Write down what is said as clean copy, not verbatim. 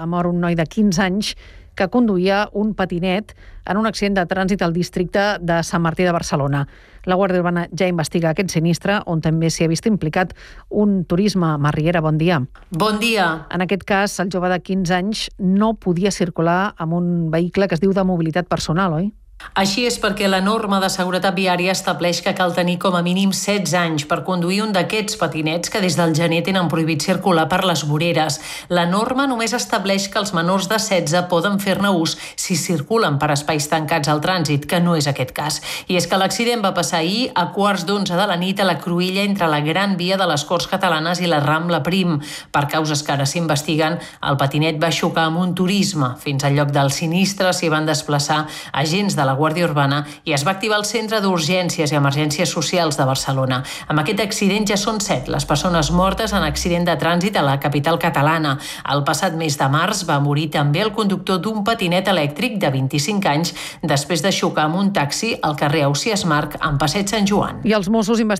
Mor un noi de 15 anys que conduïa un patinet en un accident de trànsit al districte de Sant Martí de Barcelona. La Guàrdia Urbana ja investiga aquest sinistre, on també s'hi ha vist implicat un turisme. Marriera, bon dia. Bon dia. En aquest cas, el jove de 15 anys no podia circular amb un vehicle que es diu de mobilitat personal, oi? Així és perquè la norma de seguretat viària estableix que cal tenir com a mínim 16 anys per conduir un d'aquests patinets que des del gener tenen prohibit circular per les voreres. La norma només estableix que els menors de 16 poden fer-ne ús si circulen per espais tancats al trànsit, que no és aquest cas. I és que l'accident va passar ahir a 11:15 de la nit a la cruïlla entre la Gran Via de les Corts Catalanes i la Rambla Prim. Per causes que ara s'investiguen, el patinet va xocar amb un turisme. Fins al lloc del sinistre s'hi van desplaçar agents de la Guàrdia Urbana i es va activar el Centre d'Urgències i Emergències Socials de Barcelona. Amb aquest accident ja són 7 les persones mortes en accident de trànsit a la capital catalana. El passat mes de març va morir també el conductor d'un patinet elèctric de 25 anys després de xocar amb un taxi al carrer Ausiàs Marc en Passeig Sant Joan. I els Mossos